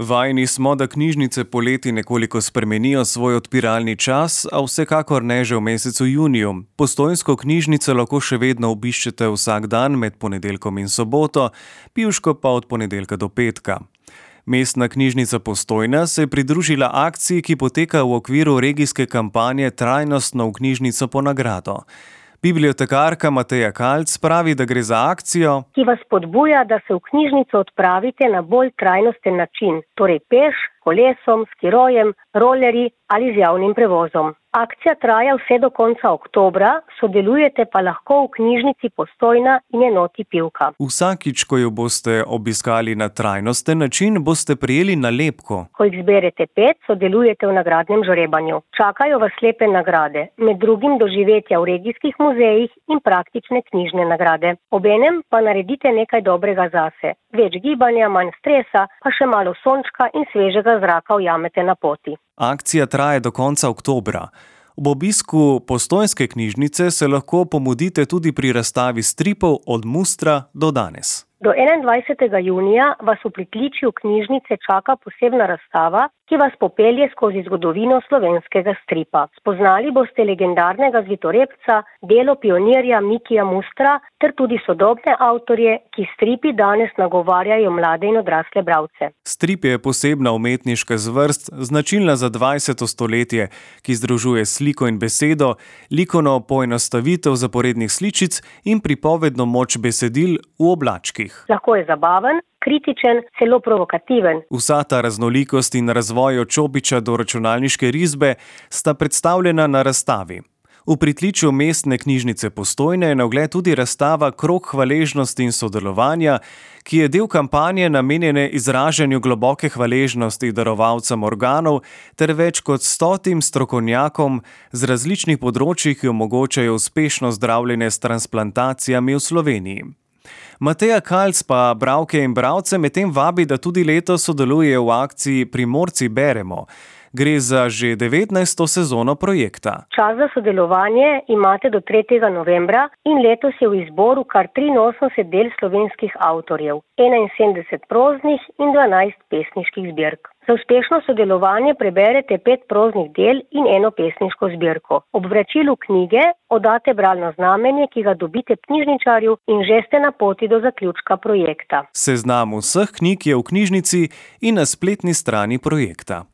Vajeni smo, da knjižnice poleti nekoliko spremenijo svoj odpiralni čas, a vsekakor ne že v mesecu juniju. Postojnsko knjižnico lahko še vedno obiščete vsak dan med ponedeljkom in soboto, Pivško pa od ponedeljka do petka. Mestna knjižnica Postojna se je pridružila akciji, ki poteka v okviru regijske kampanje Trajnostno v knjižnico po nagrado. Bibliotekarka Mateja Kalc pravi, da gre za akcijo, ki vas spodbuja, da se v knjižnico odpravite na bolj trajnosten način, torej peš, kolesom, skirojem, rolerji ali z javnim prevozom. Akcija traja vse do konca oktobra, sodelujete pa lahko v knjižnici Postojna in enoti Pivka. Vsakič, ko jo boste obiskali na trajnosten način, boste prejeli nalepko. Ko jih zberete 5, sodelujete v nagradnem žrebanju. Čakajo vas lepe nagrade, med drugim doživetja v regijskih muzejih in praktične knjižne nagrade. Obenem pa naredite nekaj dobrega zase. Več gibanja, manj stresa, pa še malo sončka in svežega zraka ujamete na poti. Akcija traja do konca oktobra. Ob obisku Postojnske knjižnice se lahko pomudite tudi pri razstavi stripov od Mustra do danes. Do 21. junija vas v pritličju knjižnice čaka posebna razstava, ki vas popelje skozi zgodovino slovenskega stripa. Spoznali boste legendarnega zvitorepca, delo pionirja Mikija Mustra ter tudi sodobne avtorje, ki stripi danes nagovarjajo mlade in odrasle bralce. Strip je posebna umetniška zvrst, značilna za 20. stoletje, ki združuje sliko in besedo, likovno poenostavitev zaporednih sličic in pripovedno moč besedil v oblačkih. Lahko je zabaven, kritičen, celo provokativen. Vsa ta raznolikost in razvoj od čopiča do računalniške risbe sta predstavljena na razstavi. V pritličju mestne knjižnice Postojne je na ogled tudi razstava Krog hvaležnosti in sodelovanja, ki je del kampanje namenjene izražanju globoke hvaležnosti darovalcem organov ter več kot 100 strokovnjakom z različnih področij, ki omogočajo uspešno zdravljenje s transplantacijami v Sloveniji. Mateja Kalc pa bralke in bralce medtem vabi, da tudi letos sodelujejo v akciji Primorci beremo. Gre za že 19. sezono projekta. Čas za sodelovanje imate do 3. novembra in letos je v izboru kar 83 del slovenskih avtorjev, 71 proznih in 12 pesniških zbirk. Za uspešno sodelovanje preberete 5 proznih del in 1 pesniško zbirko. Ob vračilu knjige oddate bralno znamenje, ki ga dobite knjižničarju in že ste na poti do zaključka projekta. Seznam vseh knjig je v knjižnici in na spletni strani projekta.